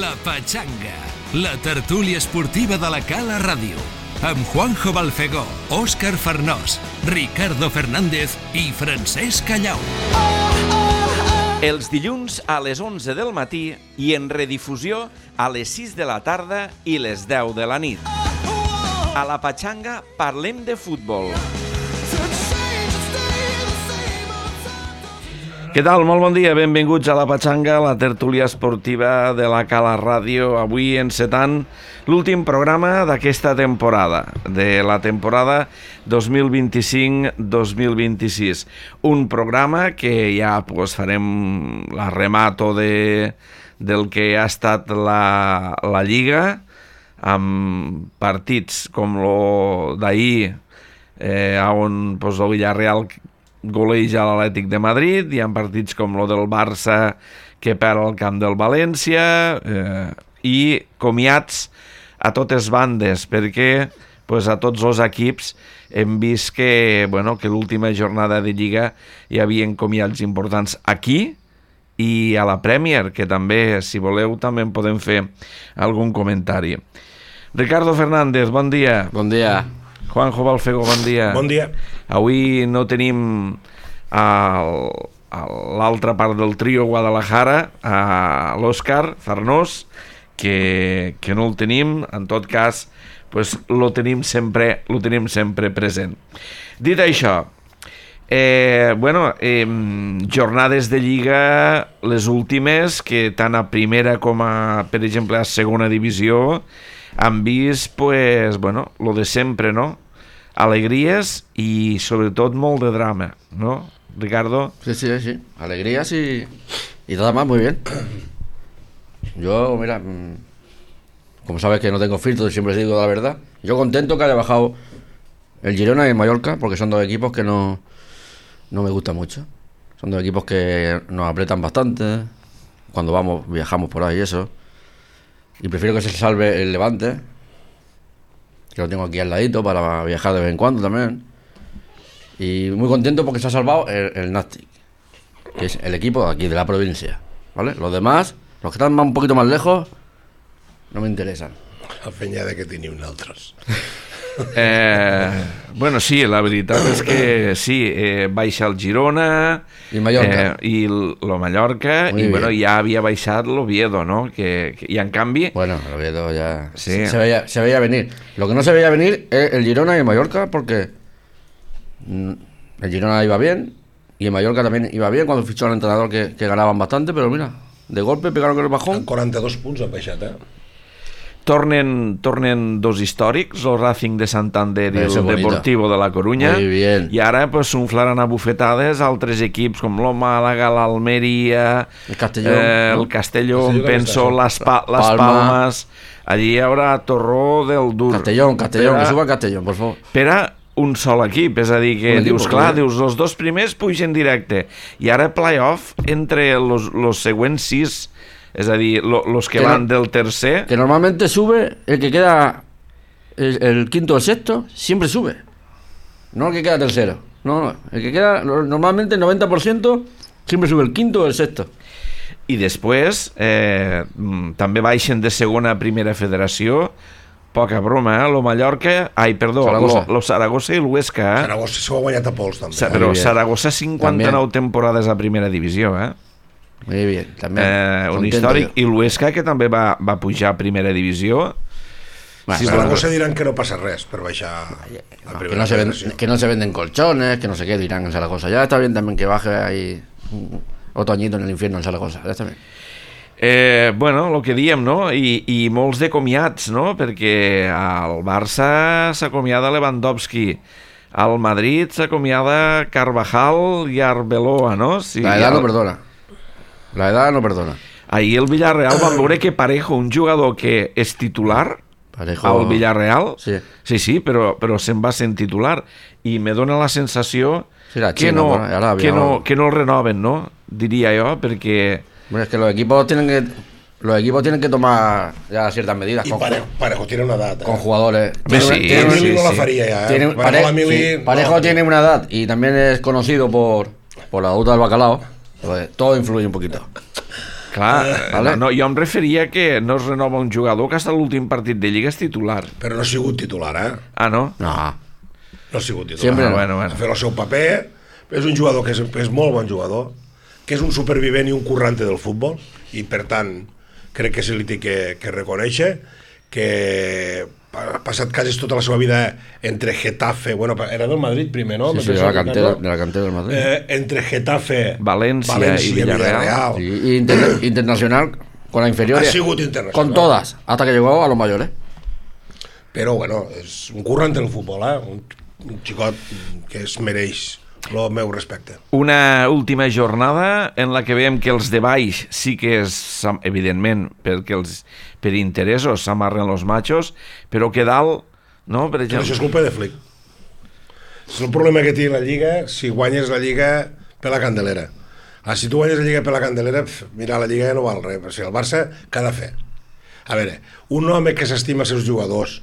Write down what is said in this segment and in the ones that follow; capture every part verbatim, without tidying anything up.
La Pachanga, la tertúlia esportiva de la Cala Ràdio, amb Juanjo Balfegó, Òscar Farnós, Ricardo Fernández i Francesc Callau. Els dilluns a les onze del matí i en redifusió a les sis de la tarda i les deu de la nit. A La Pachanga parlem de futbol. Què tal? Molt bon dia, benvinguts a La Pachanga, la tertúlia esportiva de la Cala Ràdio, avui encetant l'últim programa d'aquesta temporada, de la temporada dos mil vint-i-cinc dos mil vint-i-sis. Un programa que ja pues, farem la remato de, del que ha estat la, la Lliga, amb partits com lo d'ahir, eh, on pues, el Villarreal goleja l'Atlètic de Madrid, hi ha partits com lo del Barça que perd al camp del València, eh, i comiats a totes bandes, perquè pues, a tots els equips hem vist que, bueno, que l'última jornada de Lliga hi havia comiats importants aquí i a la Premier, que també, si voleu, també en podem fer algun comentari. Ricardo Fernández, bon dia. Bon dia. Juanjo Balfegó, bon dia. Bon dia. Avui no tenim el, l'altra part del trio Guadalajara, a l'Òscar Farnós, que, que no el tenim. En tot cas, pues, lo tenim sempre, lo tenim sempre present. Dit això, eh, bueno, eh, jornades de Lliga, les últimes, que tant a primera com a, per exemple, a segona divisió, han vist, pues, bueno, lo de sempre, no? Alegries i, sobretot, molt de drama, ¿no, Ricardo? Sí, sí, sí. Alegrías y, y nada más, muy bien. Yo, mira, como sabes que no tengo filtros, siempre digo la verdad. Yo contento que haya bajado el Girona y el Mallorca, porque son dos equipos que no, no me gustan mucho. Son dos equipos que nos apretan bastante cuando vamos, viajamos por ahí y eso. Y prefiero que se salve el Levante, que lo tengo aquí al ladito para viajar de vez en cuando también. Y muy contento porque se ha salvado el, el Nàstic, que es el equipo de aquí, de la provincia, ¿vale? Los demás, los que están un poquito más lejos, no me interesan. A penya de que tenim nosaltres. Eh, bueno, sí, la veritat és que sí, eh, baixa el Girona i Mallorca, eh, i lo Mallorca, Muy i bien. bueno, ja havia baixat l'Oviedo, ¿no? Que, que, y en canvi... Bueno, el Oviedo ya Sí. se, veía, se veía venir. Lo que no se veía venir es el Girona y el Mallorca, porque mm, el Girona iba bien y el Mallorca también iba bien cuando fichó al entrenador, que, que ganaban bastante, pero mira, de golpe pegaron con el bajón. quaranta-dos punts han baixat, eh? Tornen, tornen dos històrics, el Racing de Santander i Eso el bonito. Deportivo de la Coruña. Muy bien. I ara pues, s'unflaran a bufetades altres equips com el Màlaga, l'Almeria, El Castellón, eh, ¿no? el Castellón, Castelló penso, també les, pa les Palma. Palmes. Allí hi haurà torró del dur. Castellón, Castellón, Per a- que suba Castellón, por favor. Per a un sol equip, és a dir, que Un equip, dius, clar, clar. dius, els dos primers pugen directe, i ara play-off entre los, los següents sis, és a dir, lo, los que, Que no- van del tercer... Que normalmente sube el que queda el, el quinto o el sexto, siempre sube. No el que queda tercero. No, no. El que queda, lo- normalmente el noventa por ciento siempre sube el quinto o el sexto. I després eh, mm, també baixen de segona a primera federació, poca broma, eh? Lo Mallorca, ai, perdó, Saragossa. lo, lo Saragossa i l'Huesca, eh? Saragossa s'ho ha guanyat a pols, també. Sa, eh? però Muy bien. Saragossa cinquanta-nou També. temporades a primera divisió, eh? Muy bien, también. eh un Contento històric, yo. i l'Huesca, que també va, va pujar a primera divisió. Bueno, Sí, pero Saragossa diran que no passa res per baixar a no, primera que, no se ven- federació. que no se venden colchones, que no sé qué dirán en Zaragoza. Ya está bien también que baje ahí un- otro añito en el infierno en Zaragoza. Ya está bien. Eh, bueno, el que diem, no? I, i molts de comiats, no? Perquè al Barça s'acomiada Lewandowski, al Madrid s'acomiada Carvajal i Arbeloa, no? Sí, La edad al- no perdona. La edad no perdona. Ahir el Villarreal vam veure que Parejo, un jugador que és titular Parejo. al Villarreal, Sí. sí, sí, però, però se'n va sent titular, i me dona la sensació Sí, la que, Xina, no, bueno, Arabia, que, no, o- que no el renoven, no? Diria jo, perquè... Bueno, es que los equipos tienen que los equipos tienen que tomar ya ciertas medidas I con, Parejo, Parejo tiene una edat, eh? con jugadores. Hombre, Tiene- sí, tiene- sí, Mili no la sí. faria ja, eh? tiene- Parejo, Pare- la Mili, sí, Parejo no. tiene una edad y también es conocido por, por la ruta del bacalao. Pues todo influye un poquito. Clar, Eh, vale. no, jo em referia que no es renova un jugador que hasta l'últim partit de Lliga és titular. Però no ha sigut titular, eh? Ah, no? No. No ha sigut titular. Sempre Ah, no. bueno, Ha bueno. fet el seu paper, és un jugador que és, és molt bon jugador, que és un supervivent i un currante del futbol, i per tant crec que se li té que, que reconèixer que ha passat quasi tota la seva vida entre Getafe, bueno, era del Madrid primer, no? Sí, sí, Me de penso, la cantera, Ricardo? de la cantera del Madrid. Eh, entre Getafe, València i València Villarreal. Sí, y inter- internacional con la inferior. Ha sigut internacional. Con todas, hasta que llegó a los mayores. Però bueno, és un currante del futbol, eh? Un, un xicot que es mereix el meu respecte. Una última jornada en la que veiem que els de baix sí que és, evidentment, perquè els, per interessos s'amarren els machos, però que dalt, no? Per Però exemple... això és culpa de Flick. És el problema que té la Lliga, si guanyes la Lliga per la Candelera. Ah, si tu guanyes la Lliga per la Candelera, pf, mira, la Lliga ja no val res. O sigui, el Barça, què ha de fer? A veure, un home que s'estima els seus jugadors,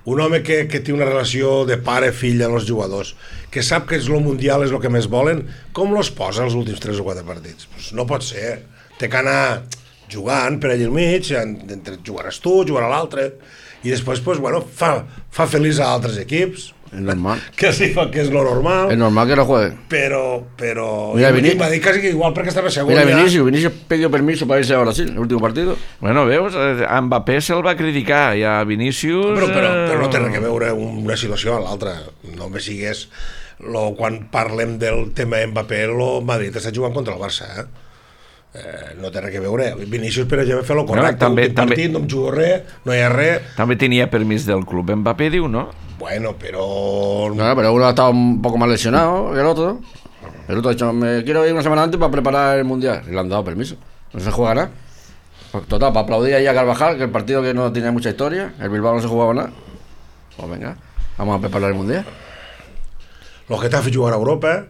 un home que, que té una relació de pare-fill amb els jugadors, que sap que és el Mundial, és el que més volen, com los posa els últims tres o quatre partits? Pues no pot ser. Té que anar jugant per allà al mig, entre jugaràs tu, jugarà l'altre, i després, pues, bueno, fa, fa feliç a altres equips, Es normal. que sí, fa que és lo normal, Es normal que no juegue. però, però Mira, jo Vini- va dir quasi que igual perquè estava segur Mira, ja. Vinicius, Vinicius pidió permiso para irse a Brasil, el último partido. Bueno, veus, eh, a Mbappé se'l va criticar i a Vinícius... Però, però, però no té eh, res a veure una situació a l'altra. No me sigues lo, quan parlem del tema Mbappé, el Madrid està jugant contra el Barça, eh? Eh, no té res a veure. Vinícius, per exemple, fa lo correcte. Bueno, també- Últim partit, també- no em jugo res, no hi ha res. També tenia permís del club. Mbappé diu, no? Bueno, però... No, pero uno ha estado un poco más lesionado que el otro. El otro ha dicho, me quiero ir una semana antes para preparar el Mundial. Y le han dado permiso. No se juega nada. Total, para aplaudir ahí a Carvajal, que el partido que no tenía mucha historia, el Bilbao no se jugaba nada. Pues venga, vamos a preparar el Mundial. Lo Getafe jugarà a Europa,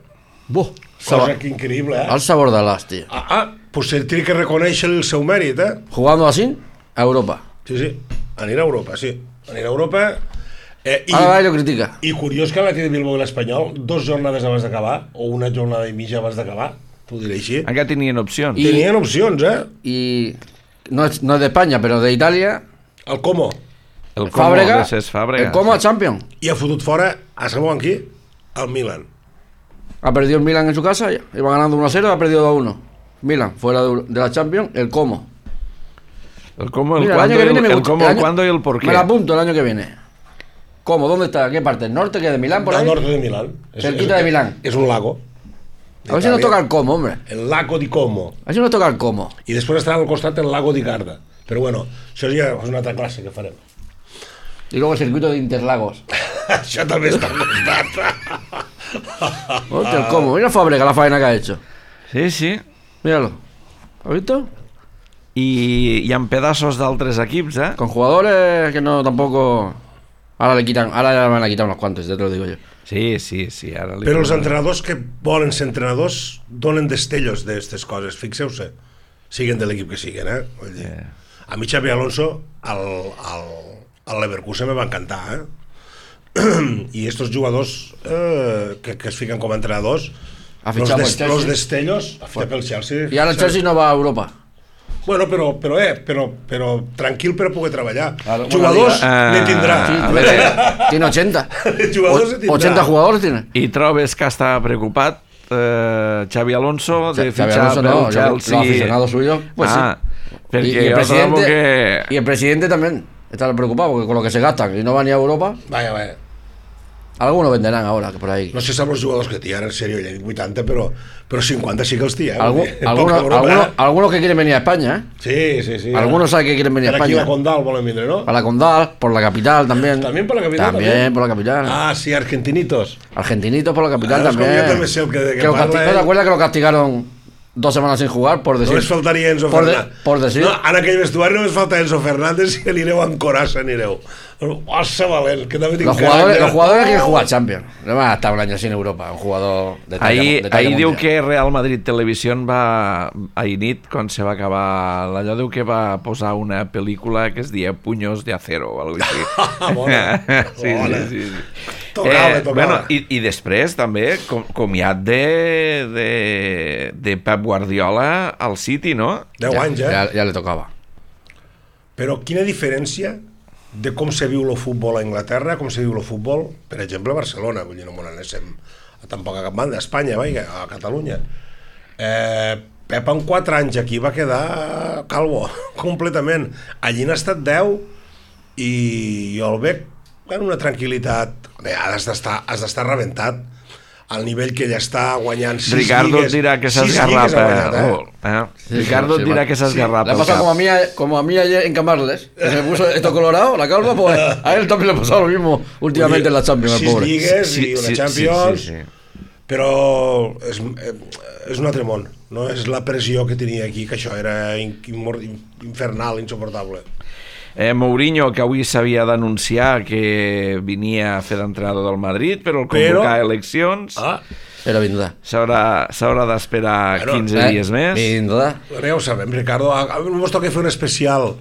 Buh, cosa sab- que increïble, eh? al sabor de las, tío. Ah, ah, pues se té que reconèixer el seu mèrit, eh? Jugando así, a Europa. Sí, sí, anirà a Europa, sí. Anirà a Europa... Eh, i, Ahora va y lo critica. I curiós que l'Atlètic de Bilbao i l'Espanyol, dos jornades abans d'acabar, o una jornada i mitja abans d'acabar, t'ho diré així, Encara tenien opcions. I- tenien opcions, eh? Y no es, no es de España, pero de Italia, El Como. El Como Fábrega, de ses Fàbregas. el Como a Champions. I ha fotut fora, a sabeu amb qui? El Milan. Ha perdido el Milan en su casa, iba ganando uno a cero, ha perdido dos a uno. Milan, fuera de, de la Champions, el Como. El Como, el Mira, cuándo, año que el, viene me el gusta- cómo, el el año- cuándo y el por qué. Me la apunto el año que viene. ¿Cómo? ¿Dónde está? ¿Qué parte? ¿El norte? ¿Que de Milán por Del ahí? norte de Milán. És- Cerquita és- de Milán. És un lago. A ver si nos toca el Como, hombre. El lago di Como. A ver si nos toca el Como. I després estarà al costat el lago di Garda. Però bueno, això ja és una altra classe que farem. Y luego el circuito de Interlagos. Això també està al costat. Hostia, el Como. Mira Fábrega la faena que ha hecho. Sí, sí. Míralo. ¿Has visto? I, i amb pedaços d'altres equips, eh? Con jugadores que no tampoco... Ahora le quitan, ahora le van a quitar unos cuantos, ya te lo digo yo. Sí, sí, sí. Ara li Però els posen- entrenadors que volen ser entrenadors donen destellos d'aquestes coses, fixeu-se. Siguen de l'equip que siguen, eh? Vull dir, Yeah. a mi Xavi Alonso al, al, al Leverkusen me va encantar, eh? I estos jugadors eh, que, que es fiquen com a entrenadors, Ha los, fichado des, pel Chelsea. los destellos, ha fitxat pel Chelsea. Y ahora el Chelsea no va a Europa. Bueno, però, però, eh, però, però tranquil per a poder treballar. Claro, Jugadors bueno, ne diga- tindrà. Sí, a ver, tiene ochenta. Jugadors ne tindrà. ochenta jugadores tiene. I trobes que està preocupat eh, Xavi Alonso de Xavi fitxar Alonso pel no, yo- Chelsea? los aficionados suyos, pues ah, sí. perquè Y, y el jo trobo presidente, que... y el presidente también está preocupado porque con lo que se gastan y no van ni a Europa, Vaja, vaja. algunos venderán ahora que por ahí. No sé si els jugadors que té ara, en sèrio, ja he dit vuitanta, però, però cinquanta sí que els té, eh? Algu- Vull dir, algunos, poca broma, algunos, eh? algunos que quieren venir a España, ¿eh? Sí, sí, sí. Algunos saben que quieren venir a Per aquí España. la Condal volen vindre, ¿no? Para la Condal, por la capital también. También por la capital. También por la capital. Ah, sí, argentinitos. Argentinitos por la capital Ah, es como también. yo también sé el que- de que lo parla casti- ¿No él. te acuerdas que lo castigaron dos semanas sin jugar por decir? No les faltaria Enzo por de- Fernández. por decir. No, en aquell vestuari no les falta Enzo Fernández i anireu amb coraça, anireu. Ossa valent, que també tinc Los jugadores, caràcter. los jugadores quieren jugar Champions. No van a estar un año sin Europa. Un jugador de talla, Ahir, de talla ahir diu mundial. que Real Madrid Televisió va, ahir nit, quan se va acabar allò, diu que va posar una pel·lícula que es deia Puños de Acero o alguna cosa així. Bona, sí, bona. sí, sí, sí. Tocava, Eh, tocava. bueno, i, i després també com, comiat de, de, de Pep Guardiola al City, no? deu ja, anys, eh? Ja, ja le tocava. Però quina diferència de com se viu el futbol a Anglaterra, com se viu el futbol, per exemple, a Barcelona, vull dir, no m'ho anéssim a tampoc a cap banda, a Espanya, vaja, a Catalunya. Eh, Pep en quatre anys aquí va quedar calvo, completament. Allí n'ha estat deu i jo el veig en una tranquil·litat. Bé, has d'estar has d'estar rebentat al nivell que ell està guanyant sis Ricardo lligues. et dirà que s'ha sis esgarrat. lligues ha guanyat, Eh? eh? Oh, eh? Sí, Ricardo sí, et dirà sí, que s'ha sí. esgarrat. Le ha pel pasado cap. como a mí, como a mí ayer en Camarles, que se puso esto colorado, la calva, pues a él también le ha pasado lo mismo últimamente en la Champions, el sis pobre. lligues Sí, i una sí, Champions, sí, sí, sí. però és, eh, és un altre món, no és la pressió que tenia aquí, que això era in, in, infernal, insuportable. Eh, Mourinho, que avui s'havia d'anunciar que venia a fer d'entrenador del Madrid, però el convocar Però- eleccions Ah, Pero vindrà. s'haurà s'haurà d'esperar Bueno, quinze Eh, dies més. Vindrà. ara ja ho sabem, Ricardo, a, a mi ens toca fer un especial.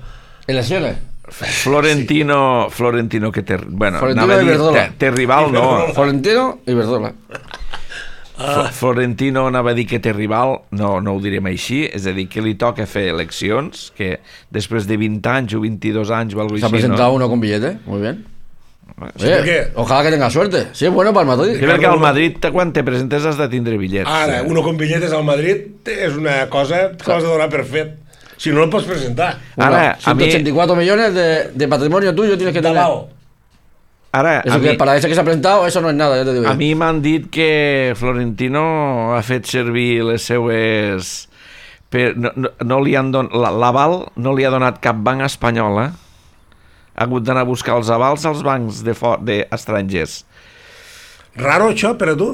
Elecciones. Florentino, Florentino que té, bueno, Florentino anava a dir, Iberdrola. té, té rival, no. Florentino y Verdola. Fl- Florentino anava a dir que té rival, no, no ho direm així, és a dir, que li toca fer eleccions, que després de vint anys o vint-i-dos anys o alguna Se ha cosa així, presentado no? uno con billete, muy bien. Sí, Oye, perquè- ojalá que tenga suerte. Sí, es bueno para el Madrid. Que perquè al Madrid, quan te presentes, has de tindre bitllets. Ara, eh? uno con billetes al Madrid és una cosa que l'has de donar per fet. Si no, no el pots presentar. Ara, a mi, ciento ochenta y cuatro millones de, de patrimonio tuyo tienes que De tener. lao. ara, Eso a que mi, para ese que se ha presentado, eso no es nada, ya te digo yo. a mi m'han dit que Florentino ha fet servir les seues... Per, no, no, no li han don, la- l'aval no li ha donat cap banc espanyol, eh? Ha hagut d'anar a buscar els avals als bancs de, for, de estrangers. Raro això per a tu?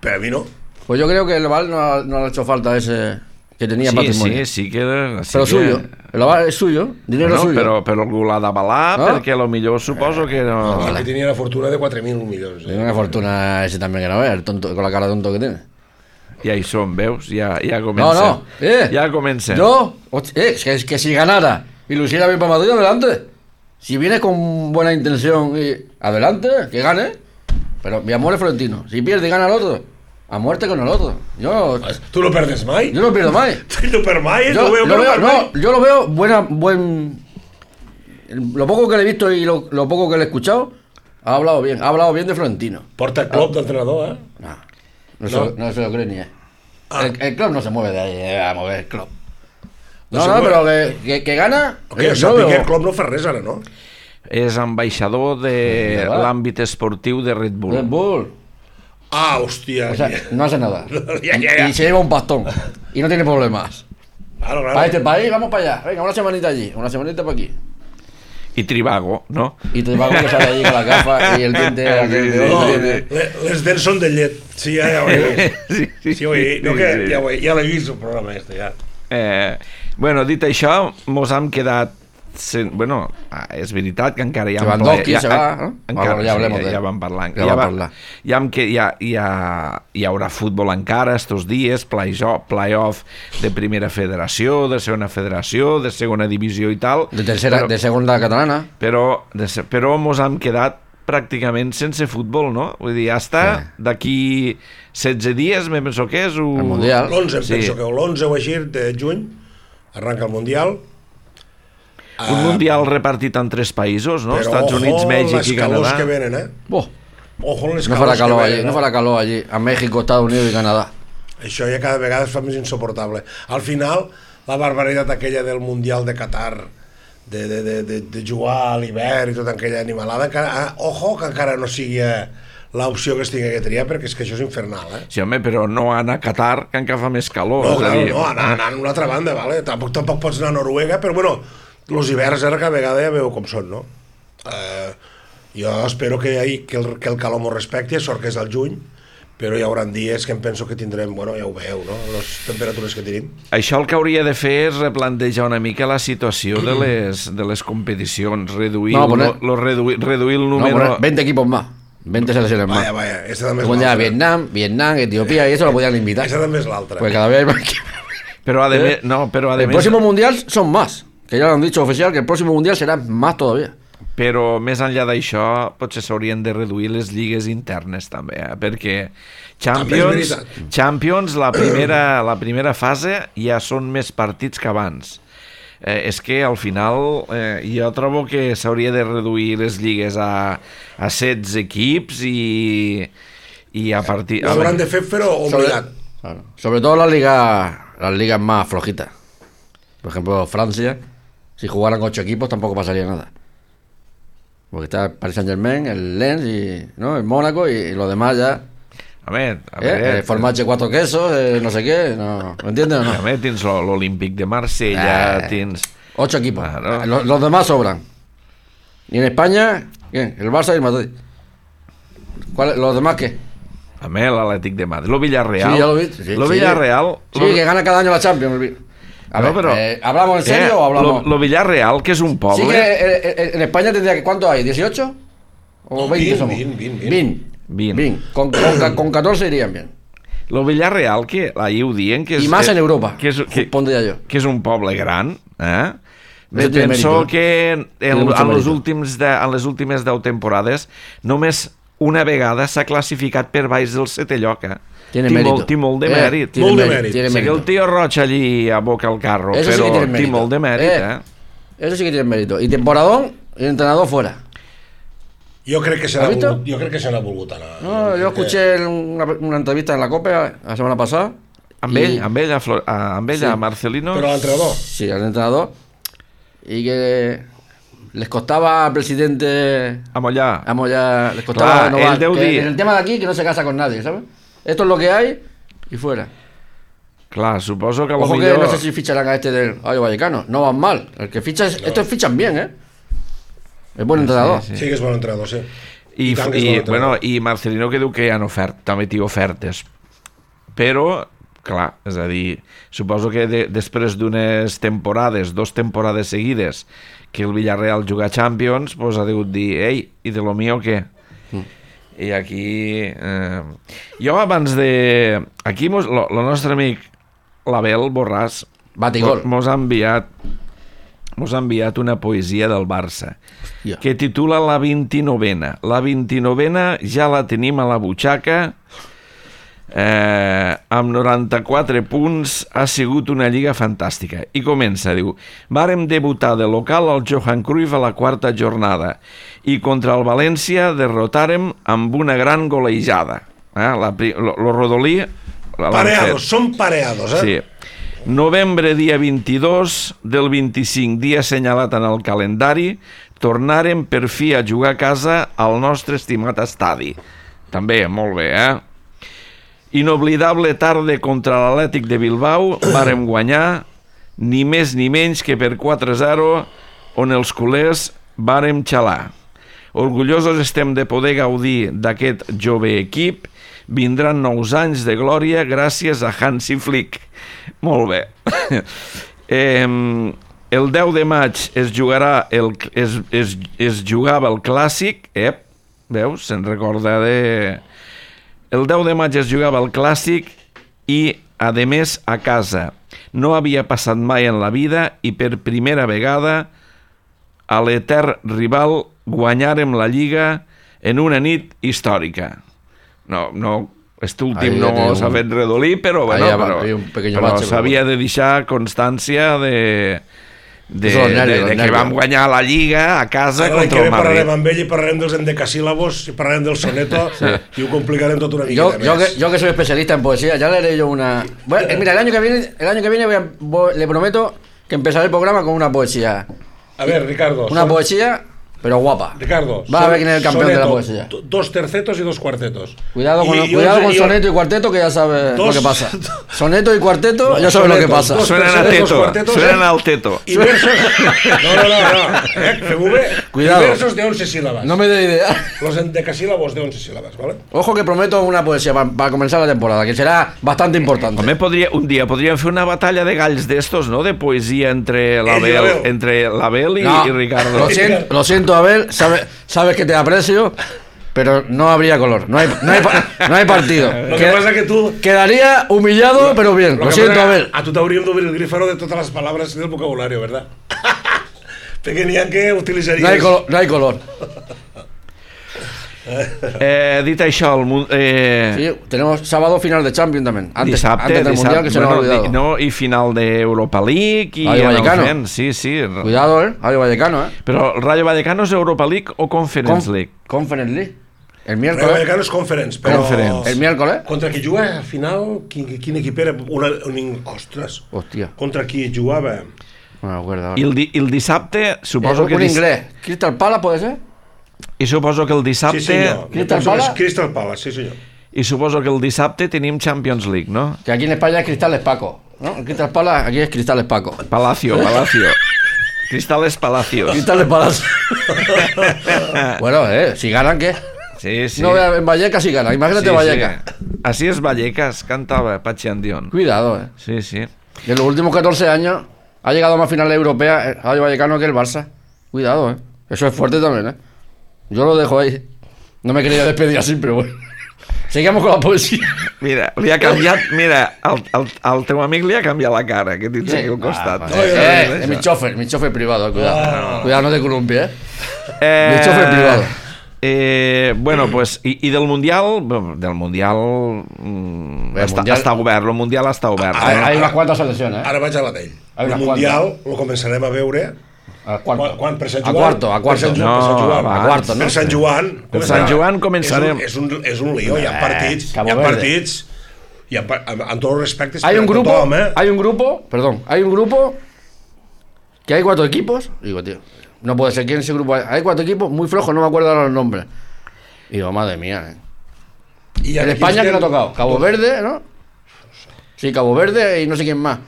Per a mi no. Pues yo creo que el Oval no, ha- no le ha hecho falta ese que tenía Sí, patrimonio. sí, sí que... Sí Pero que, suyo. El Oval es suyo, dinero Bueno, suyo. però, però algú l'ha d'avalar, Ah. perquè a lo millor suposo que no... No, que tenia una fortuna de quatre mil milions. Tiene Eh? una fortuna ese también que no ve, el tonto, con la cara de tonto que tiene. Ja hi som, veus? Ja, ja No, comencem. no, eh. Ja comencem. Yo, host- eh, que, que si ganara y lo hiciera bien para Madrid, adelante. Si viene con buena intención y adelante, que gane. Pero mi amor es Florentino. Si pierde y gana el otro, a muerte con el otro. Yo, Tu no perdes mai? yo no pierdo más. Tu no perds mai? Yo Lo veo, lo no veo, perds no, mai. yo lo veo buena, buen. Lo poco que le he visto y lo, lo poco que le he escuchado, ha hablado bien, ha hablado bien de Florentino. Porta el club d'entrenador, eh? No, no, No. Se, lo- no se lo cree ni él. Ah. El, el club no se mueve de ahí, eh, a mover el club. No No, se no, mueve. pero que, que, que gana. Que eh, això yo veo- Piqué el club no fa res ara, no? És ambaixador de Ja va. l'àmbit esportiu de Red Bull. Red Bull. Ah, hòstia. O sea, no hace nada. Ya, ya, ya. Y se lleva un pastón. Y no tiene problemas. Claro, Para claro. este país, vamos para allá. Venga, una semanita allí, una semanita para aquí. I Trivago, no? Y te va a que sale allí con la gafa y el diente. aquel de No, otro sí, diente. le- les dents són de llet. Sí, ja, ja ho he vist. Sí, sí, Sí, ho he, no, que, sí. ja, ho he, ja l'he vist el programa este, ja. Eh, bueno, dit això, mos hem quedat... Sen... Bueno, ah, és veritat que encara hi ha... Lewandowski ja, se va, no? Encara, Bueno, ja hablemos sí, de ja él. vam parlar. Ja Ja, vam va, parlar. ja, hem que, ja, ja, hi haurà futbol encara estos dies, play-off play de primera federació, de segona federació, de segona divisió i tal. De tercera, però, de segunda catalana. però, de, se- però mos hem quedat pràcticament sense futbol, no? Vull dir, ja està, Sí. d'aquí setze dies, me penso que és... Un... El Mundial. L'onze, em Sí. penso que l'onze o així de juny arranca el Mundial. Un mundial repartit en tres països, no? Però Estats Units, ojo, Mèxic les i calors Canadà. que venen, eh? Buah, Ojo les no calors farà calor que allí, venen, no eh? farà calor allí. A México, Estados Unidos y Canadá. Això ja cada vegada es fa més insuportable. Al final, la barbaritat aquella del Mundial de Qatar, de, de, de, de, de jugar a l'hivern i tota aquella animalada, encara, ah, ojo que encara no sigui eh, l'opció que es tingui que triar, perquè és que això és infernal, eh? Sí, home, però no anar a Qatar, que encara fa més calor. No, és a clar, dir, no, anar, anar a una altra banda, vale? Tampoc, tampoc pots anar a Noruega, però bueno, els hiverns ara cada vegada ja veu com són, no? Eh, jo espero que, hi, que, el, que el calor m'ho respecti, sort que és al juny, però hi haurà dies que em penso que tindrem, bueno, ja ho veu, no?, les temperatures que tenim. Això el que hauria de fer és replantejar una mica la situació de les, de les competicions, reduir, No, no, poner- lo, lo reduir, reduir el No, número... poner veinte equipos más. veinte selecciones más. Vaya, vaya, esta també és Luego ya l'altra. Vietnam, Vietnam, Etiopía y eso lo podían invitar. Esta també és l'altra. Pues cada vez hay más equipos. Però, a de ¿Eh? més, no, però a de El més... próximo mundial son más. Que ya lo han dicho oficial que el próximo mundial será más todavía. però més enllà d'això potser s'haurien de reduir les lligues internes també, eh? Perquè Champions, Champions la, primera, la primera fase ja són més partits que abans. Eh, és que al final eh, jo trobo que s'hauria de reduir les lligues a, a setze equips i, i a partir... Lo hauran de fer, però obligat. Sobre, claro. Sobre todo la liga, las ligas más flojitas. Por ejemplo, Francia, si jugaran ocho equipos tampoco pasaría nada. Porque está el Paris Saint-Germain, el Lens, y, ¿no? el Mónaco y, y los demás ya... A ver, a ¿Eh? ver, El formache cuatro quesos, eh, no sé qué, no, ¿me entiendes o no? A ver, tens l'Olímpic de Marsella, Eh, tens... Ocho equipos, Claro. los, los demás sobran. Y en España, ¿qué? El Barça y el Madrid. ¿Cuál, ¿Los demás qué? A ver, l'Atlètic de Madrid, lo Villarreal. Sí, ya lo vi. Sí, lo sí. Villarreal... Sí, lo... que gana cada año la Champions. A No, ver, pero- eh, ¿hablamos en serio eh, o hablamos...? Lo, lo Villarreal, que és un poble... Sí que eh, eh, en España tendría que... ¿Cuánto hay? ¿dieciocho? ¿O veinte veinte, somos? veinte, veinte. veinte. veinte. veinte. Con, con, con catorce irían bien. Lo Villarreal, que ahir ho dient... Que és, Y más que, en Europa, Que és, que, pondría yo. que és un poble gran, eh? Eso tiene Penso mérito, ¿eh? que en, Tiene en, mucho en, les mérito. últims de, en les últimes deu temporades només una vegada s'ha classificat per baix del setè lloc, eh? Tiene Té mérito. molt, té molt de Eh, mèrit. tiene Molt de mérito, mèrit. tiene Sí que mérito. el tio Roig allí aboca el carro, Eso sí però que tiene té mérito. molt de mèrit, Eh, eh? Eso sí que tiene mérito. Y temporadón y entrenador fuera. Jo crec que se ¿Has n'ha visto? volgut, jo crec que se n'ha volgut anar. No, yo escuché una, una entrevista en la COPE la semana pasada. Amb y- ell, amb ell, a, Flor, a, amb ell, Sí. a Marcelino... Però l'entrenador, Sí, al entrenador. Y que les costaba al presidente A Mollà. Vamos ya, les costaba Clar, renovar. ell deu Que dir- en el tema de aquí, que no se casa con nadie, ¿sabes? Esto es lo que hay y fuera. Clar, suposo que a lo Ojo que millor... no sé si ficharán a este del Rayo Vallecano. No van mal. El que ficha es, estos fichan bien, ¿eh? Es buen entrenador. sí. sí que és bon entrenador, sí. I, I tant que és i, bon entrenador. bueno, i Marcelino que diu que hi ha ofert, també té ofertes. Però, clar, és a dir, suposo que de, després d'unes temporades, dos temporades seguides, que el Villarreal juga Champions, pues ha degut dir, ei, i de lo mío què? Mm. I aquí... Eh, jo abans de... Aquí mos, lo, lo nostre amic l'Abel Borràs Batigol. mos ha enviat mos ha enviat una poesia del Barça Hòstia. que titula La vint-i-novena. La vint-i-novena ja la tenim a la butxaca, eh, amb noranta-quatre punts, ha sigut una lliga fantàstica. I comença, diu, vàrem debutar de local al Johan Cruyff a la quarta jornada i contra el València derrotàrem amb una gran golejada. Eh? La, pri- lo, lo rodolí... l'han Pareados, fet. són pareados, eh? Sí. Novembre, dia vint-i-dos, del vint-i-cinc, dia assenyalat en el calendari, tornarem per fi a jugar a casa al nostre estimat estadi. També, molt bé, eh? Inoblidable tarda contra l'Atlètic de Bilbao, vàrem guanyar, ni més ni menys que per quatre a zero, on els culers vàrem xalar. Orgullosos estem de poder gaudir d'aquest jove equip. Vindran nous anys de glòria gràcies a Hansi Flick. Molt bé. eh, el deu de maig es jugarà el, es, es, es jugava el clàssic, ep, veus, se'n recorda de... El deu de maig es jugava el clàssic i, a més, a casa. No havia passat mai en la vida i per primera vegada a l'etern rival guanyarem la Lliga en una nit històrica. No, no, este últim Ahí no tiene s'ha un- fet redolí, però, Ahí bueno, ya va- però, hay un pequeño però bache, s'havia pero de deixar constància de, de, Eso, los nervios, de, los de que nervios. vam guanyar la Lliga a casa Ara l'any que contra ve el Madrid. parlarem amb ell i parlarem dels endecasíl·labos i parlarem del soneto i ho complicarem tot una Yo, miqueta yo, que, més. yo que soy especialista en poesía, ya leeré yo una... Bueno, eh, mira, el año que viene, el año que viene voy a- voy- le prometo que empezaré el programa con una poesía. A ver, Ricardo. Una son- poesía, pero guapa. Ricardo. Va a son- ver quién es el campeón de la soneto, poesía. do- Dos tercetos y dos cuartetos. Cuidado con, Y- y cuidado once- con y- soneto y cuarteto, que ya sabes Dos- lo que pasa. Soneto y cuarteto, No, ya sabes lo que sonetos, pasa. dos- Suenen a tercetos, teto, cuartetos, suenen eh? al teto. Y versos... No, no, no, no. Eh, fem-ho bé. Cuidado. Y versos de once sílabas. No me dé idea. Los endecasílabos de once sílabas, ¿vale? Ojo que prometo una poesía para comenzar la temporada, que será bastante importante. Home, podria, un dia podríem fer una batalla de galls d'estos, no?, de poesia entre Ell i l'Abel, l'Abel. entre l'Abel i, No, i Ricardo. Lo siento, lo siento, Abel, sabe- sabes que te aprecio, pero no habría color. No hay, no hay, pa- no hay partido. Lo que Que- pasa que tú... Quedaría humillado, pero bien. Lo, que siento, pasa que Abel. A tu t'hauríem d'obrir el grifaro de totes les palabres del vocabulario, ¿verdad? Perquè n'hi ha que utilitzaries... No hay color. No hay color. Eh, dit això, el, mu- eh, Sí, tenemos sábado final de Champions también. Antes, dissabte, antes del dissabte, Mundial, que se nos ha bueno, olvidado. di- no, i final d'Europa League i Rayo en el Vallecano. fent, sí, sí. Cuidado, ¿eh? Rayo Vallecano, ¿eh? Però el Rayo Vallecano és Europa League o Conference Conf- League? Conference League. El Rayo miércoles. Vallecano és Conference, però... Conference. El miércoles. Contra qui juga, al final, quin, quin equip era? Una, un, ostres, Hostia. contra qui jugava? No me acuerdo ahora. I el, di, el dissabte, suposo Eh, que... un dis- inglés. Crystal Palace, ¿puede ser? I suposo que el dissabte... Sí, senyor. Crystal Penso que és Palace? Crystal Palace, sí, senyor. I suposo que el dissabte tenim Champions League, no? Que aquí en España es Cristales Paco. ¿No? El Crystal Palace, aquí es Cristales Paco. Palacio, Palacio. Cristales Palacios. Cristales Palace. Bueno, eh, si ganan, ¿qué? Sí, sí. No, en Vallecas si ganan. Imagínate Sí, Vallecas. sí. Así es Vallecas, cantaba Pachi Andión. Cuidado, eh. Sí, sí. En los últimos catorce años ha llegado a más finales europeas el Rayo Vallecano que el Barça. Cuidado, eh. Eso es fuerte también, eh. Yo lo dejo ahí. No me quería despedir así, pero bueno. Sigamos con la poesía. Mira, li ha canviat... Mira, el, el, el teu amic li ha canviat la cara, que tens aquí al costat. Ah, eh, es mi chofer, mi chofer privado, cuidado. Ah. Cuidado, no te columpies, eh. Eh, Mi chofer privado. Eh, bueno, pues, i, i del Mundial, bueno, del Mundial, mm, El està, Mundial- està obert, el Mundial està obert. Hay, Eh? hay unas cuantas selecciones, eh. Ara vaig a la d'ell. Hay El unas Mundial el començarem a veure A quan, cuarto. quan per Sant A Joan. cuarto, a cuarto. Per Sant, No, per Sant Joan. va, a cuarto, ¿no? Per Sant Joan. Per Sant Joan començarem. començarem. És un, és un, és un lío, hi ha partits, Cabo hi ha Verde. partits, hi ha, pa- amb, amb tots els respectes Hay per un a grupo, tothom, eh? hay un grupo, perdón, hay un grupo que hay cuatro equipos. Digo, tío, no puede ser, ¿quién es ese grupo? Hay cuatro equipos muy flojos, no me acuerdo ahora los nombres. Y digo, madre mía, eh. I En aquí España, estem- ¿quién ha tocado? Cabo Verde, ¿no? Sí, Cabo Verde y no sé quién más.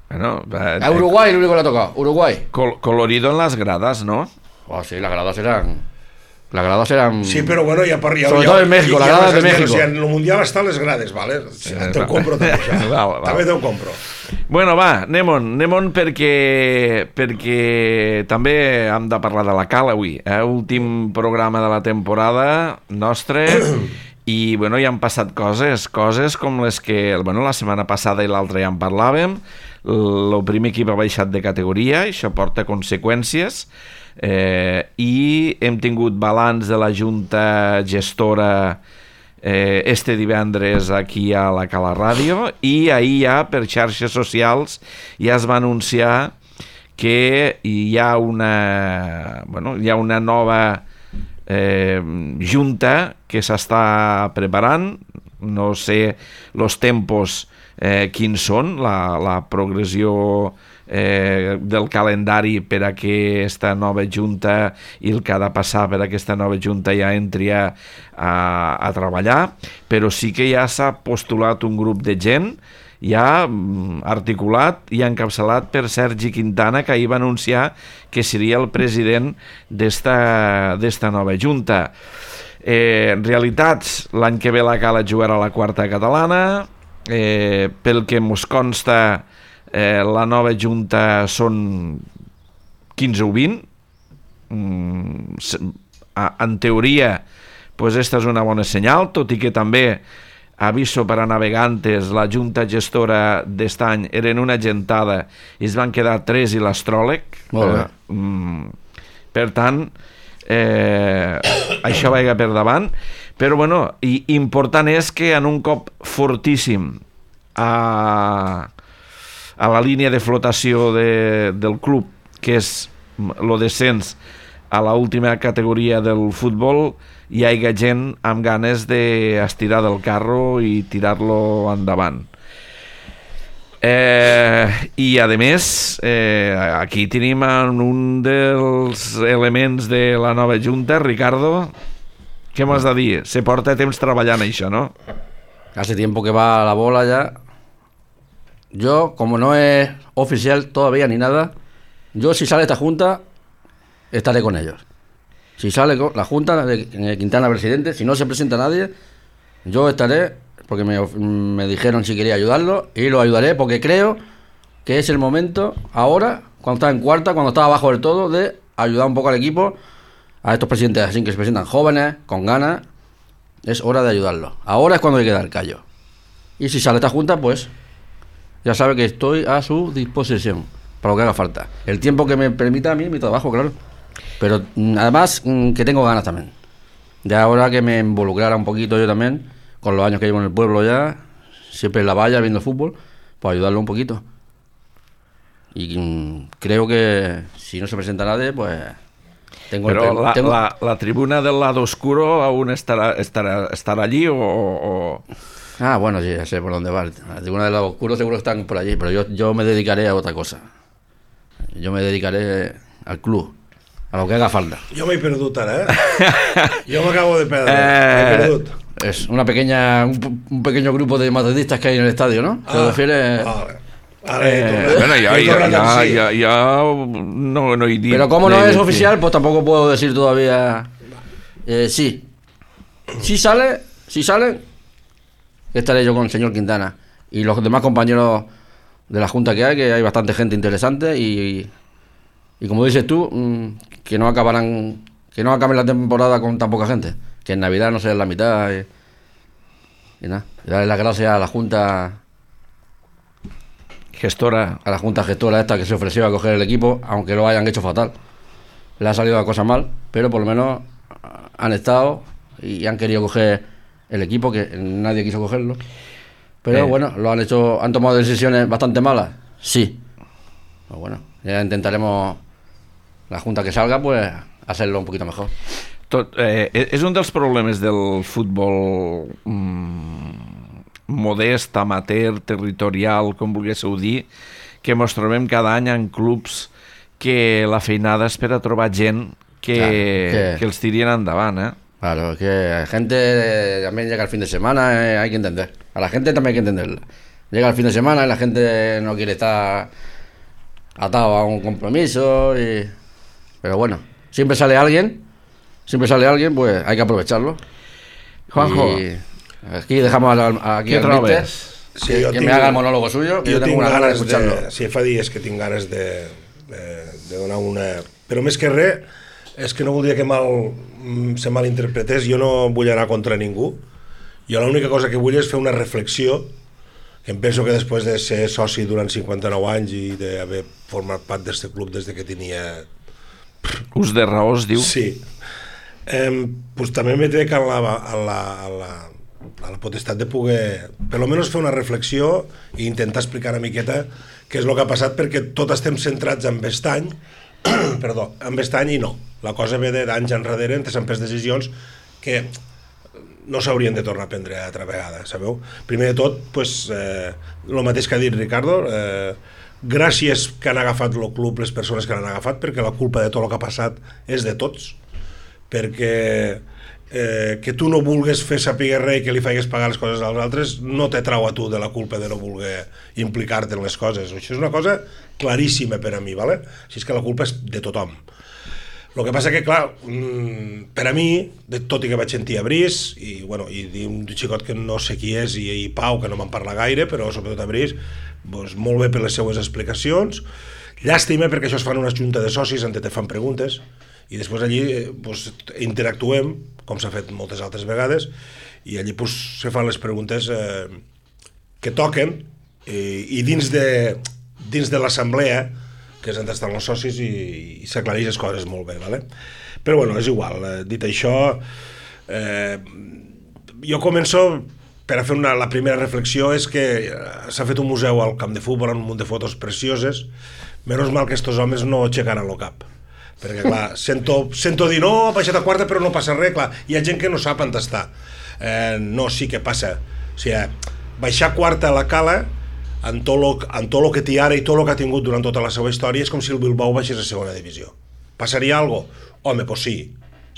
Bueno, eh, A Uruguay, el único que le ha tocado. Uruguay. col- colorido en las gradas, ¿no? Oh, sí, las gradas eran. Las gradas eran. Sí, però bueno, hi ha... par- Hi ha Sobre hi ha- todo en México, hi ha la grada les de esmenes, México. O sigui, en el Mundial estan les grades, vale? Sí, te ho compro també, això. Val, val. També te ho compro. Bueno, va, anem-on, anem-on perquè, perquè també hem de parlar de la Cal avui, eh? Últim programa de la temporada nostre i, bueno, hi han passat coses, coses com les que, bueno, la setmana passada i l'altra ja en parlàvem. El primer equip ha baixat de categoria, això porta conseqüències, eh, i hem tingut balanç de la Junta Gestora eh, este divendres aquí a la Cala Ràdio, i ahir ja per xarxes socials ja es va anunciar que hi ha una, bueno, hi ha una nova eh, junta que s'està preparant, no sé els tempos eh, quins són, la, la progressió eh, del calendari per a que aquesta nova junta i el que ha de passar per a aquesta nova junta ja entri a, a, a treballar, però sí que ja s'ha postulat un grup de gent ja mm, articulat i encapçalat per Sergi Quintana, que ahir va anunciar que seria el president d'esta d'esta nova junta. Eh, en realitats, l'any que ve la Cala jugarà a la quarta catalana, eh, pel que mos consta eh, la nova junta són quinze o vint, mm, se- a- en teoria pues esta és una bona senyal, tot i que també aviso per a navegantes, la junta gestora d'est any eren una gentada i es van quedar tres i l'astròleg. Molt bé. Eh, mm, per tant, eh, això vaiga per davant, però bueno, i important és que en un cop fortíssim a, a la línia de flotació de, del club, que és el descens a la última categoria del futbol, hi hagi gent amb ganes d'estirar del carro i tirar-lo endavant. Eh, I a més, eh, aquí tenim un dels elements de la nova junta, Ricardo. Què m'has de dir? Se porta temps treballant això, no? Hace tiempo que va la bola ya. Yo, como no es oficial todavía ni nada, yo si sale esta junta, estaré con ellos. Si sale con la junta de Quintana presidente, si no se presenta nadie, yo estaré, porque me, me dijeron si quería ayudarlo, y lo ayudaré porque creo que es el momento ahora, cuando está en cuarta, cuando está abajo del todo, de ayudar un poco al equipo, a estos presidentes así que se presentan jóvenes, con ganas. Es hora de ayudarlos. Ahora es cuando hay que dar callo. Y si sale esta junta, pues ya sabe que estoy a su disposición. para lo que haga falta. El tiempo que me permita a mí, mi trabajo, claro. Pero además que tengo ganas también. Ya ahora que me involucrara un poquito yo también, con los años que llevo en el pueblo ya, siempre en la valla viendo fútbol, pues ayudarlo un poquito. Y mm, creo que si no se presenta nadie, pues tengo Pero el, la, tengo... la, la tribuna del lado oscuro aún estará, estará, estará allí o, o... Ah, bueno, sí, ya sé por dónde va. La tribuna del lado oscuro seguro que están por allí, pero yo, yo me dedicaré a otra cosa. Yo me dedicaré al club, a lo que haga falta. Jo m'he perdut ara, eh? Jo m'acabo de perdre, Eh... m'he perdut. Es una pequeña, un, un pequeño grupo de madridistas que hay en el estadio, ¿no? ¿Te Ah, refieres? vale. Ara he Eh, tornat- bueno, ja, he ja, tornat amb ja, sí. ja, ja no, no he dit... Pero como no no he es dit- oficial, pues tampoco puedo decir todavía. Eh, sí. Si sale, si sale, estaré yo con el señor Quintana y los demás compañeros de la junta que hay, que hay bastante gente interesante y, y como dices tú, mmm, que no acabarán, que no acabe la temporada con tan poca gente, que en Navidad no sea la mitad y, y nada. Y darle las gracias a la junta, Gestora. a la junta gestora esta que se ofreció a coger el equipo, aunque lo hayan hecho fatal. Le ha salido la cosa mal, pero por lo menos han estado y han querido coger el equipo, que nadie quiso cogerlo. Pero Eh. bueno, lo han hecho, han tomado decisiones bastante malas, sí. Pues bueno, ya intentaremos, la junta que salga, pues hacerlo un poquito mejor. Tot, eh, és un dels problemes del futbol mm, modest, amateur, territorial, com volguéssiu dir, que mos trobem cada any en clubs que la feinada és per a trobar gent que, Claro, que- que els tirien endavant, eh? Claro, es que la gente eh, también llega el fin de semana, eh, hay que entender. A la gente también hay que entenderla. Llega el fin de semana y la gente no quiere estar atado a un compromiso. Y... Pero bueno, siempre sale alguien, siempre sale alguien, pues hay que aprovecharlo. Juanjo. Y aquí dejamos al, a- aquí Què al trobes? míster, Sí, que, jo que tinc- me haga el monólogo suyo, que yo, tengo una ganas de escucharlo. De, sí, fa dies que tinc ganes de, de, de donar una... Però més que res, és que no voldria que mal, mm, se malinterpretés, jo no vull anar contra ningú, jo l'única cosa que vull és fer una reflexió, que em penso que després de ser soci durant cinquanta-nou anys i d'haver format part d'aquest club des de que tenia... Ús de raó es diu. Sí. Eh, pues també me trec a la, a, la, a, la, a la potestat de poder, per almenys fer una reflexió i intentar explicar una miqueta què és el que ha passat, perquè tot estem centrats en Bestany, perdó, en Bestany i no. La cosa ve d'anys enrere, entre s'han pres decisions que no s'haurien de tornar a prendre altra vegada, sabeu? Primer de tot, pues, eh, el mateix que ha dit Ricardo, eh, gràcies que han agafat el club les persones que l'han agafat, perquè la culpa de tot el que ha passat és de tots, perquè eh, que tu no vulgues fer saber res i que li faigues pagar les coses als altres no te trau a tu de la culpa de no voler implicar-te en les coses. Això és una cosa claríssima per a mi, ¿vale? Així és que la culpa és de tothom. El que passa que, clar, mmm, per a mi, de, tot i que vaig sentir a Brice, i, bueno, i un xicot que no sé qui és, i, i Pau, que no me'n parla gaire, però sobretot a Brice, doncs, molt bé per les seues explicacions. Llàstima perquè això es fan una junta de socis on te fan preguntes, i després allí eh, doncs, interactuem, com s'ha fet moltes altres vegades, i allí doncs, se fan les preguntes eh, que toquen, i, i dins de, dins de l'assemblea, que és on estan els socis, i, i s'aclareix les coses molt bé, ¿vale? Però bueno, és igual. Eh, dit això, eh, jo començo per a fer una, la primera reflexió és que s'ha fet un museu al camp de futbol amb un munt de fotos precioses. Menys mal que estos homes no aixecaran el cap, perquè clar, sento, sento dir no, ha baixat a quarta però no passa res, clar, hi ha gent que no sap on està. Eh, no, sí que passa. O sigui, baixar a quarta a la Cala, en tot lo, en tot lo que té ara i tot lo que ha tingut durant tota la seva història, és com si el Bilbao baixés a segona divisió. Passaria algo? Home, doncs sí,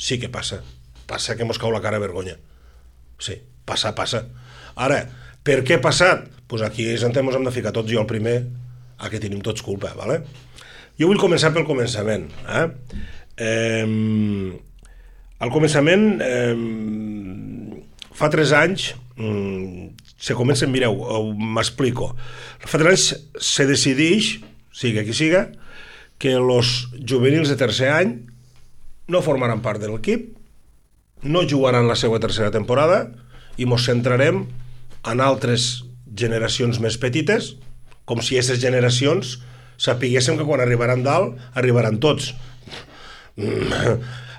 sí que passa. Passa que mos cau la cara a vergonya. Sí, passa, passa. Ara, per què ha passat? Doncs aquí és on ens hem de ficar tots, jo el primer, a que tenim tots culpa, ¿vale? Jo vull començar pel començament. Eh? Eh, al començament, eh, fa tres anys, eh, se comença, mireu, m'explico. Fa tres anys se decideix, siga qui siga, que els juvenils de tercer any no formaran part de l'equip, no jugaran la seva tercera temporada i ens centrarem en altres generacions més petites, com si aquestes generacions sapiguéssim que quan arribaran dalt, arribaran tots.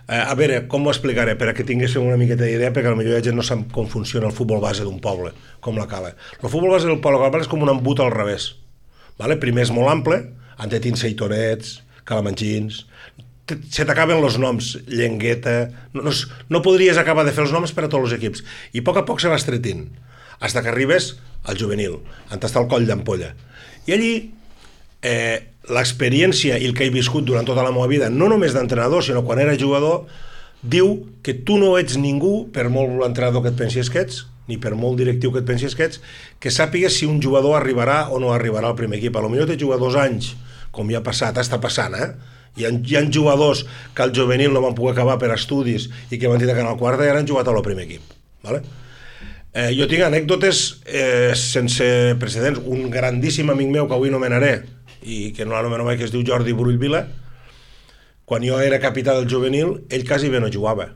A veure, com ho explicaré? Per a que tinguéssim una miqueta d'idea, perquè potser la gent no sap com funciona el futbol base d'un poble, com la Cala. El futbol base del poble és com un embut al revés. Vale? Primer és molt ample, han de tenir seitonets, calamanxins, se t'acaben els noms, Llengueta, no, no, no podries acabar de fer els noms per a tots els equips, i a poc a poc se va estretint, fins que arribes al juvenil, on està el coll d'ampolla. I allí, eh, l'experiència i el que he viscut durant tota la meva vida, no només d'entrenador, sinó quan era jugador, diu que tu no ets ningú, per molt l'entrenador que et pensis que ets, ni per molt directiu que et pensis que ets, que sàpigues si un jugador arribarà o no arribarà al primer equip. A lo millor té jugar dos anys, com ja ha passat, està passant, eh? Hi ha, hi ha jugadors que al juvenil no van poder acabar per estudis i que van tenir que anar al quart i ara han jugat al primer equip. Vale? Eh, jo tinc anècdotes eh, sense precedents. Un grandíssim amic meu, que avui nomenaré, i que no l'anomeno mai, que es diu Jordi Brull Vila, quan jo era capità del juvenil, ell quasi bé no jugava.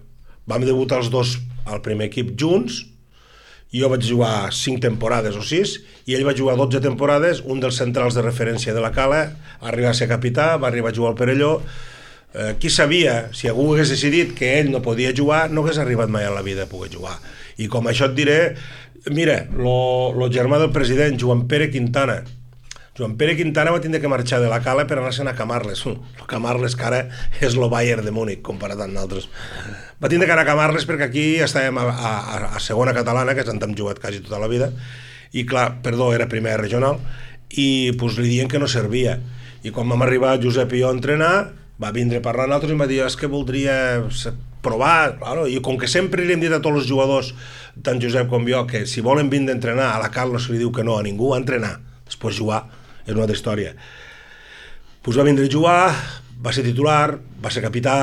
Vam debutar els dos al primer equip junts, jo vaig jugar cinc temporades o sis, i ell va jugar dotze temporades, un dels centrals de referència de la Cala, va arribar a ser capità, va arribar a jugar al Perelló. Eh, qui sabia, si algú hagués decidit que ell no podia jugar, no hagués arribat mai a la vida a poder jugar. I com això et diré, mira, el germà del president, Joan Pere Quintana, Joan Pere Quintana va tindre que marxar de la Cala per anar-se'n a Camarles. El Camarles, que ara és el Bayern de Múnich, comparat amb nosaltres. Va tindre que anar a Camarles perquè aquí estàvem a, a, a segona catalana, que és on hem jugat quasi tota la vida, i clar, perdó, era primera regional, i pues, li diuen que no servia. I quan vam arribar Josep i jo a entrenar, va vindre a parlar amb nosaltres i em va dir, és que voldria provar, claro. I com que sempre li hem dit a tots els jugadors, tant Josep com jo, que si volen vindre a entrenar, a la Cal no se li diu que no a ningú, a entrenar, després jugar, és una altra història. Pues va vindre a jugar, va ser titular, va ser capità,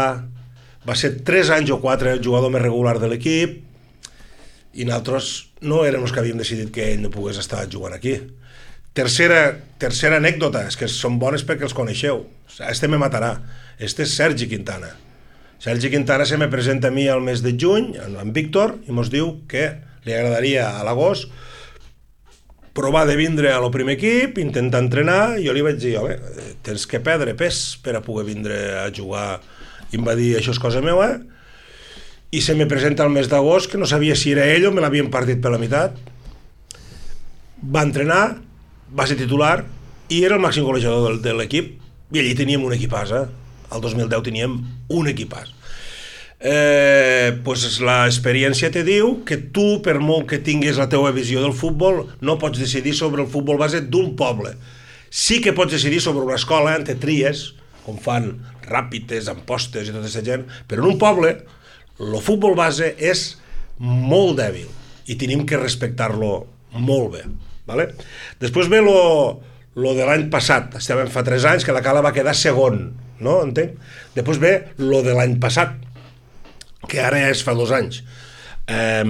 va ser tres anys o quatre el jugador més regular de l'equip, i nosaltres no érem els que havíem decidit que ell no pogués estar jugant aquí. Tercera, tercera anècdota, és que són bones perquè els coneixeu. Este me matarà. Este és Sergi Quintana. Sergi Quintana se me presenta a mi al mes de juny, amb Víctor, i mos diu que li agradaria a l'agost provar de vindre a lo primer equip, intentar entrenar, i jo li vaig dir, home, tens que perdre pes per a poder vindre a jugar. I em va dir, això és cosa meva, i se me presenta al mes d'agost, que no sabia si era ell o me l'havien partit per la meitat. Va entrenar, va ser titular, i era el màxim golejador de l'equip, i allí teníem un equipàs, eh? El dos mil deu teníem un equipàs. Eh, pues l'experiència te diu que tu, per molt que tinguis la teva visió del futbol, no pots decidir sobre el futbol base d'un poble. Sí que pots decidir sobre una escola, en te tries, com fan Ràpides, Ampostes i tota aquesta gent, però en un poble el futbol base és molt dèbil i tenim que respectar-lo molt bé. Vale? Després ve lo, lo de l'any passat, estàvem fa tres anys que la Cala va quedar segon, no? Entenc? Després ve lo de l'any passat, que ara és fa dos anys. Eh,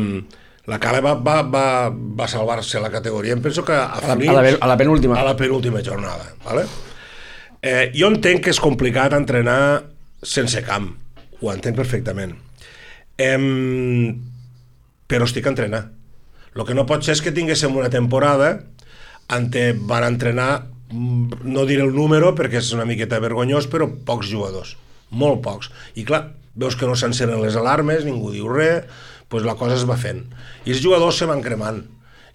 la Cala va, va, va, va salvar-se la categoria, em penso que a, a, la, a la penúltima a la penúltima jornada, vale? Eh, jo entenc que és complicat entrenar sense camp, ho entenc perfectament, eh, però estic a entrenar. El que no pot ser és que tinguéssim una temporada on van entrenar, no diré el número perquè és una miqueta vergonyós, però pocs jugadors, molt pocs, i clar, veus que no s'encenen les alarmes, ningú diu res, doncs la cosa es va fent. I els jugadors se van cremant.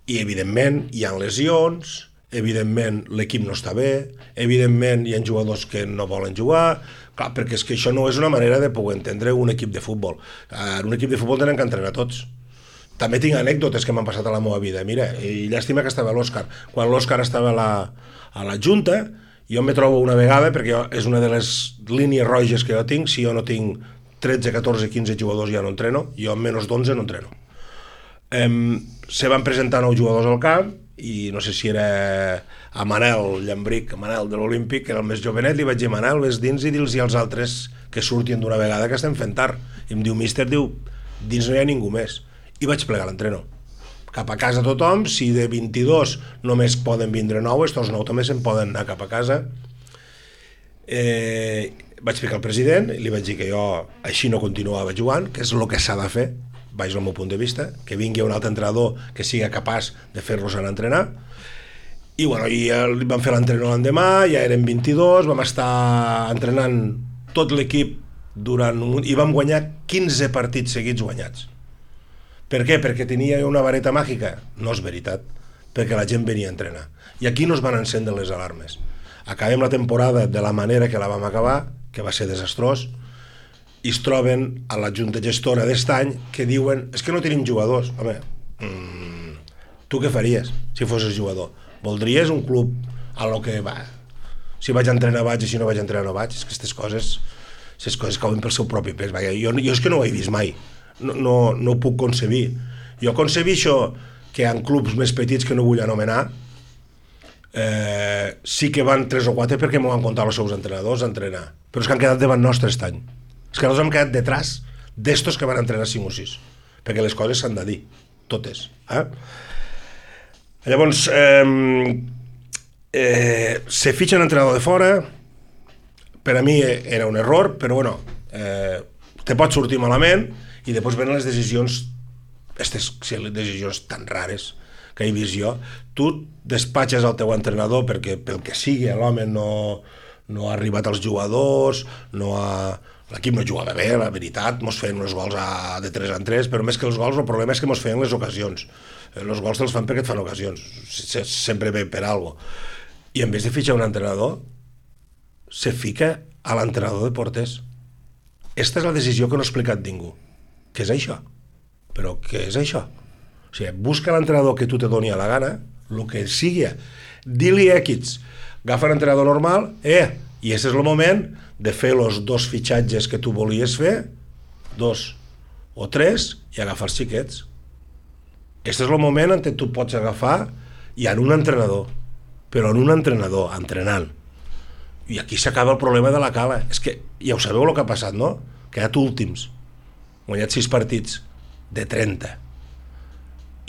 I, evidentment, hi ha lesions, evidentment, l'equip no està bé, evidentment, hi ha jugadors que no volen jugar, clar, perquè és que això no és una manera de poder entendre un equip de futbol. En un equip de futbol tenen que entrenar tots. També tinc anècdotes que m'han passat a la meva vida. Mira, i llàstima que estava l'Òscar. Quan l'Òscar estava a la, a la Junta, jo me trobo una vegada, perquè jo, és una de les línies roges que jo tinc, si jo no tinc tretze, catorze, quinze jugadors ja no entreno, jo amb menys d'onze no entreno. Um, se van presentar nou jugadors al camp i no sé si era a Manel Llambric, a Manel de l'Olímpic, que era el més jovenet, li vaig dir, Manel, ves dins i dils-hi als altres que surtin d'una vegada que estem fent tard. I em diu, míster, diu, dins no hi ha ningú més. I vaig plegar l'entreno. Cap a casa tothom, si de vint-i-dos només poden vindre nou, estos nou també se'n poden anar cap a casa. Eh, vaig picar al president i li vaig dir que jo així no continuava jugant, que és el que s'ha de fer, vaig al meu punt de vista, que vingui un altre entrenador que sigui capaç de fer-los anar a entrenar. I, bueno, i vam fer l'entrenament l'endemà, ja érem vint-i-dos, vam estar entrenant tot l'equip durant un... i vam guanyar quinze partits seguits guanyats. Per què? Perquè tenia una vareta màgica? No és veritat, perquè la gent venia a entrenar. I aquí no es van encendre les alarmes. Acabem la temporada de la manera que la vam acabar, que va ser desastrós, i es troben a la junta gestora d'est any que diuen, és que no tenim jugadors. Home, mmm, tu què faries si fossis jugador? Voldries un club a lo que va? Si vaig a entrenar vaig i si no vaig a entrenar no vaig. És que aquestes coses, aquestes coses cauen pel seu propi pes. Jo, jo és que no ho he vist mai. No, no, no ho puc concebir. Jo concebixo que en clubs més petits que no vull anomenar eh, sí que van tres o quatre perquè m'ho van comptar els seus entrenadors a entrenar. Però és que han quedat davant nostre aquest any. És que nosaltres hem quedat detrás d'estos que van entrenar cinc o sis. Perquè les coses s'han de dir. Totes. Eh? Llavors, eh, eh, se fitxa un entrenador de fora, per a mi era un error, però bueno, eh, te pot sortir malament i després venen les decisions, aquestes decisions tan rares que he vist jo. Tu despatxes el teu entrenador perquè pel que sigui l'home no, no ha arribat als jugadors, no ha... l'equip no jugava bé, la veritat, mos feien uns gols a, de tres en tres, però més que els gols el problema és que mos feien les ocasions. Els gols te'ls fan perquè et fan ocasions, sempre ve per alguna cosa. I en vez de fitxar un entrenador, se fica a l'entrenador de porters. Esta és la decisió que no ha explicat ningú. Què és això? Però què és això? O sigui, busca l'entrenador que tu te doni a la gana, el que sigui. Di-li X, agafa l'entrenador normal, eh, i aquest és el moment de fer els dos fitxatges que tu volies fer, dos o tres, i agafar els xiquets. Aquest és el moment en què tu pots agafar i en un entrenador, però en un entrenador, entrenant. I aquí s'acaba el problema de la Cala. És que ja ho sabeu el que ha passat, no? Quedat últims. Guanyat sis partits de trenta.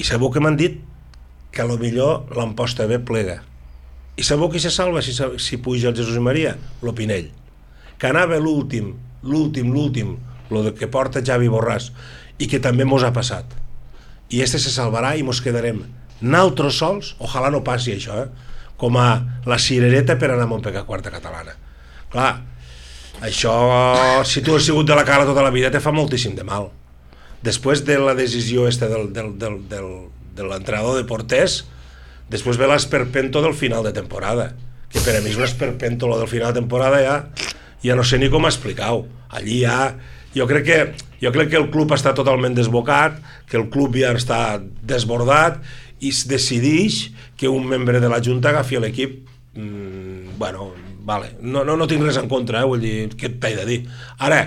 I sabeu que m'han dit que a lo millor l'Amposta B plega. I sabeu qui se salva si, si puja el Jesús i Maria? Lo Pinell. Que anava l'últim, l'últim, l'últim, lo que porta Javi Borràs, i que també mos ha passat. I este se salvarà i mos quedarem naltros sols, ojalà no passi això, eh? Com a la cirereta per anar a Montpeca quarta catalana. Clar, això, si tu has sigut de la Cala tota la vida, te fa moltíssim de mal. Després de la decisió esta del, del, del, del, de l'entrenador de porters, després ve l'esperpento del final de temporada, que per a mi és un esperpento, lo del final de temporada ja, ja no sé ni com explicar-ho. Allí ja... Jo crec que jo crec que el club està totalment desbocat, que el club ja està desbordat i es decideix que un membre de la Junta agafi l'equip. Mm, bueno, vale, no, no, no tinc res en contra, eh? Vull dir, què t'he de dir? Ara,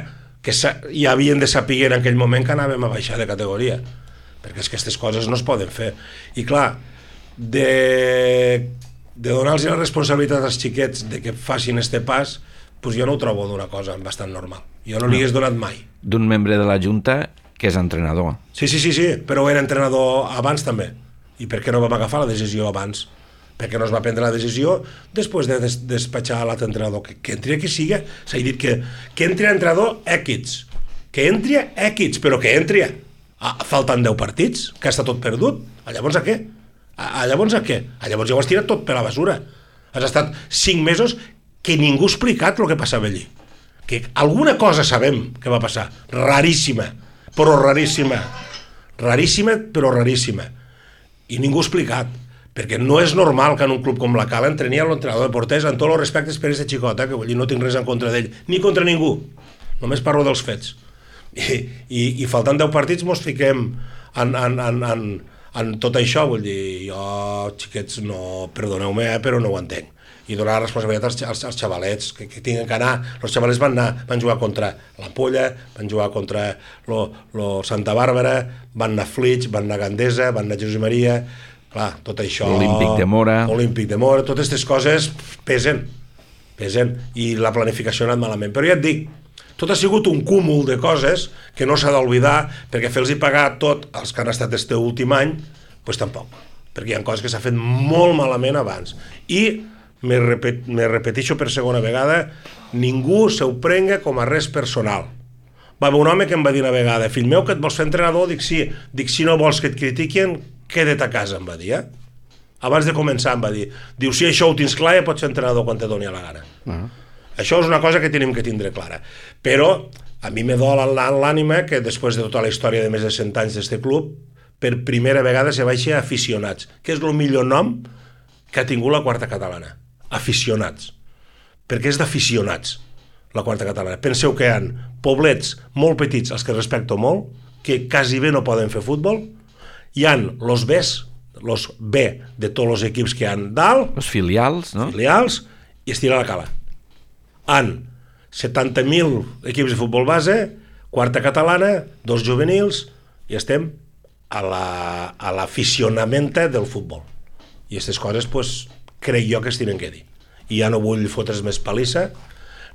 que ja havien de saber en aquell moment que anàvem a baixar de categoria, perquè és que aquestes coses no es poden fer. I clar, de, de donar-los la responsabilitat als xiquets de que facin este pas, pues jo no ho trobo d'una cosa bastant normal. Jo no li hagués donat mai. D'un membre de la Junta que és entrenador. Sí, sí, sí, sí, però era entrenador abans també. I per què no vam agafar la decisió abans? Perquè no es va prendre la decisió després de des despatxar l'altre entrenador. Que, que entri a qui siga. S'ha dit que, que entri a entrenador X. Que entri a X, però que entri a... a faltant deu partits, que està tot perdut. A llavors a què? A, a llavors a què? A llavors ja ho has tirat tot per la basura. Has estat cinc mesos que ningú ha explicat el que passava allí. Que alguna cosa sabem que va passar, raríssima, però raríssima, raríssima però raríssima, i ningú ha explicat, perquè no és normal que en un club com la Cala entreni l'entrenador de porters amb tots els respectes per aquest xicot, eh, que vull dir, no tinc res en contra d'ell, ni contra ningú, només parlo dels fets, i, i, i faltant deu partits mos fiquem en, en, en, en, en tot això, vull dir, jo, xiquets, no, perdoneu-me, eh, però no ho entenc. I donar la responsabilitat als, als, als xavalets que, que tinguin que anar. Els xavalets van anar, van jugar contra l'Ampolla, van jugar contra lo, lo Santa Bàrbara, van anar a Flix, van anar a Gandesa, van anar a Jesús i Maria, clar, tot això... Olímpic de Mora... Olímpic de Mora, totes aquestes coses pesen, pesen, i la planificació ha anat malament. Però ja et dic, tot ha sigut un cúmul de coses que no s'ha d'oblidar, perquè fer-los pagar tot els que han estat este últim any, doncs tampoc, perquè hi ha coses que s'ha fet molt malament abans. I me, repet, me repeteixo per segona vegada, ningú se ho prenga com a res personal. Va haver un home que em va dir una vegada, fill meu, que et vols fer entrenador? Dic sí. Dic, si no vols que et critiquin, queda't a casa, em va dir, eh? abans de començar em va dir, diu, si això ho tens clar ja pots ser entrenador quan te doni a la gana. Uh-huh. Això és una cosa que tenim que tindre clara. Però a mi me dol l'ànima que després de tota la història de més de cent anys d'este club, per primera vegada se baixa a aficionats, que és el millor nom que ha tingut la quarta catalana. Aficionats. Perquè és d'aficionats, la quarta catalana. Penseu que hi ha poblets molt petits, els que respecto molt, que quasi bé no poden fer futbol, hi ha los Bs, los B de tots els equips que hi ha dalt, els filials, no? Filials, i es tira la cala. Han setanta mil equips de futbol base, quarta catalana, dos juvenils, i estem a l'aficionament la, del futbol. I aquestes coses, pues, crec jo que es tenen que dir. I ja no vull fotre's més palissa,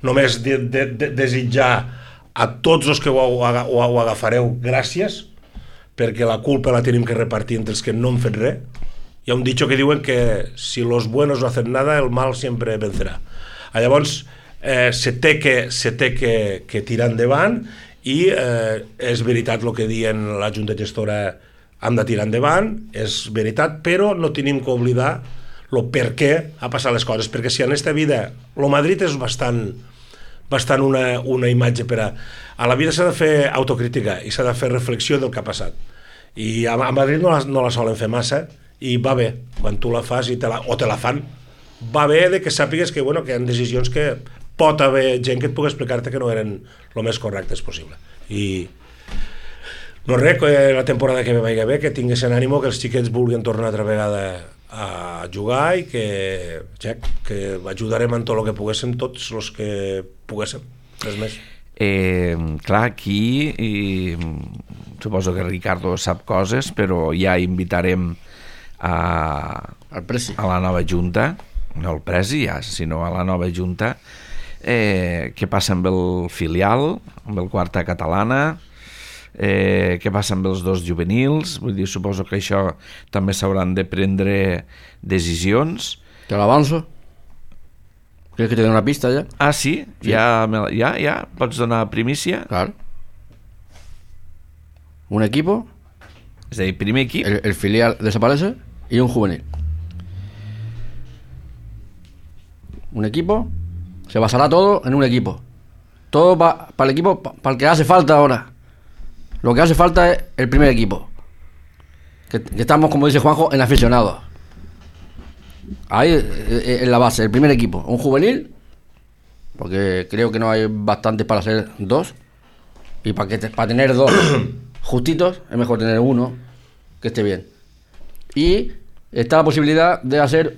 només de, de, de, desitjar a tots els que ho, ho, ho, ho agafareu gràcies, perquè la culpa la tenim que repartir entre els que no han fet res. Hi ha un dicho que diuen que si los buenos no hacen nada, el mal siempre vencerà. Llavors, eh, se té, que, se té que, que tirar endavant i eh, és veritat el que diuen la Junta Gestora, hem de tirar endavant, és veritat, però no tenim que oblidar el per què ha passat les coses, perquè si en aquesta vida, el Madrid és bastant, bastant una, una imatge per a... A la vida s'ha de fer autocrítica i s'ha de fer reflexió del que ha passat. I a, a Madrid no la, no la solen fer massa, i va bé, quan tu la fas i te la, o te la fan, va bé de que sàpigues que, bueno, que hi ha decisions que pot haver gent que et pugui explicar-te que no eren el més correctes possible. I no res, que la temporada que ve vagi bé, que tinguessin ànimo, que els xiquets vulguin tornar altra vegada a jugar i que, ja, que ajudarem en tot el que poguéssim, tots els que poguéssim, res més. Eh, clar, aquí i, suposo que Ricardo sap coses, però ja invitarem a, a la nova junta, no el presi ja, sinó a la nova junta, eh, què passa amb el filial, amb el quarta catalana, eh, què passa amb els dos juvenils. Vull dir, suposo que això també s'hauran de prendre decisions. Te l'avanço. ¿Quieres que te dé una pista ya? Ah, sí? Sí. Ja, ja, ja? Pots donar primícia? Claro. Un equipo. És a dir, primer equip. El, el filial desaparece y un juvenil. Un equipo. Se basará todo en un equipo. Todo para pa el equipo, para pa el que hace falta ahora. Lo que hace falta es el primer equipo. Que, que estamos, como dice Juanjo, en aficionados. Ahí en la base, el primer equipo, un juvenil, porque creo que no hay bastantes para ser dos, y para que te, para tener dos justitos es mejor tener uno que esté bien. Y está la posibilidad de hacer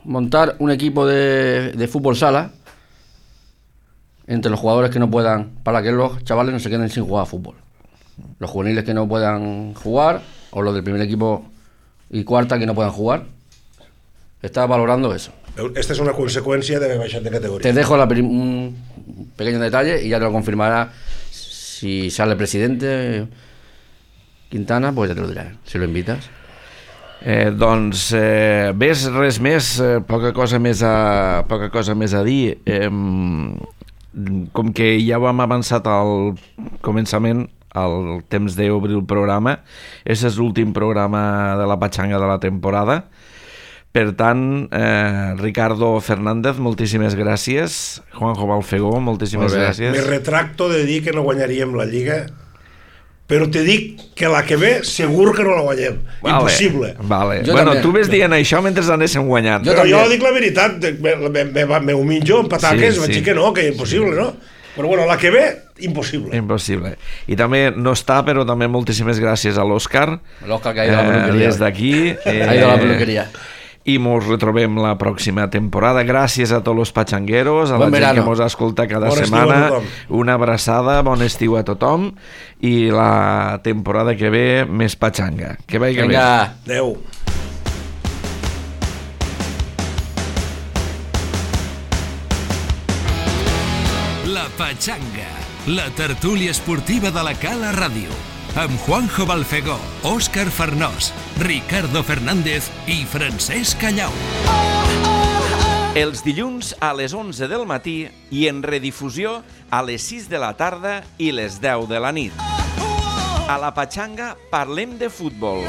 montar un equipo de, de fútbol sala entre los jugadores que no puedan, para que los chavales no se queden sin jugar a fútbol. Los juveniles que no puedan jugar, o los del primer equipo y cuarta que no puedan jugar. Estaba valorando eso. Esta es una consecuencia de haber bajado de categoría. Te dejo la, un pequeño detalle y ya te lo confirmará si sale el presidente Quintana, pues ya te lo diré, si lo invitas. Eh, doncs eh, ves res més, eh, poca cosa més a, poca cosa més a dir. Eh, com que ja ho hem avançat al començament, al temps d'obrir el programa, aquest és l'últim programa de la Patxanga de la temporada. Per tant, eh, Ricardo Fernández, moltíssimes gràcies. Juanjo Balfegó, moltíssimes gràcies. Me retracto de dir que no guanyaríem la Lliga, però te dic que la que ve segur que no la guanyem. Vale, impossible. Vale. Bueno, també. Tu ves dient això mentre anéssim guanyant. Jo però també. Jo dic la veritat, me, me, me, me huminjo en pataques, sí, vaig sí. dir que no, que impossible, sí. No? Però bueno, la que ve, impossible. Impossible. I també no està, però també moltíssimes gràcies a l'Òscar. L'Òscar que ha ido a la peluqueria. Des d'aquí. Eh, ha ido a la peluqueria. I mos retrobem la pròxima temporada. Gràcies a tots els patxangueros, a bon la verano. Gent que mos escolta cada bon setmana. Una abraçada, bon estiu a tothom i la temporada que ve més patxanga. Que vagi bé. Adéu. La Patxanga, la tertúlia esportiva de la Cala Ràdio. Amb Juanjo Balfegó, Òscar Farnós, Ricardo Fernández i Francesc Callau. Els dilluns a les onze del matí i en redifusió a les sis de la tarda i les deu de la nit. A la Patxanga parlem de futbol.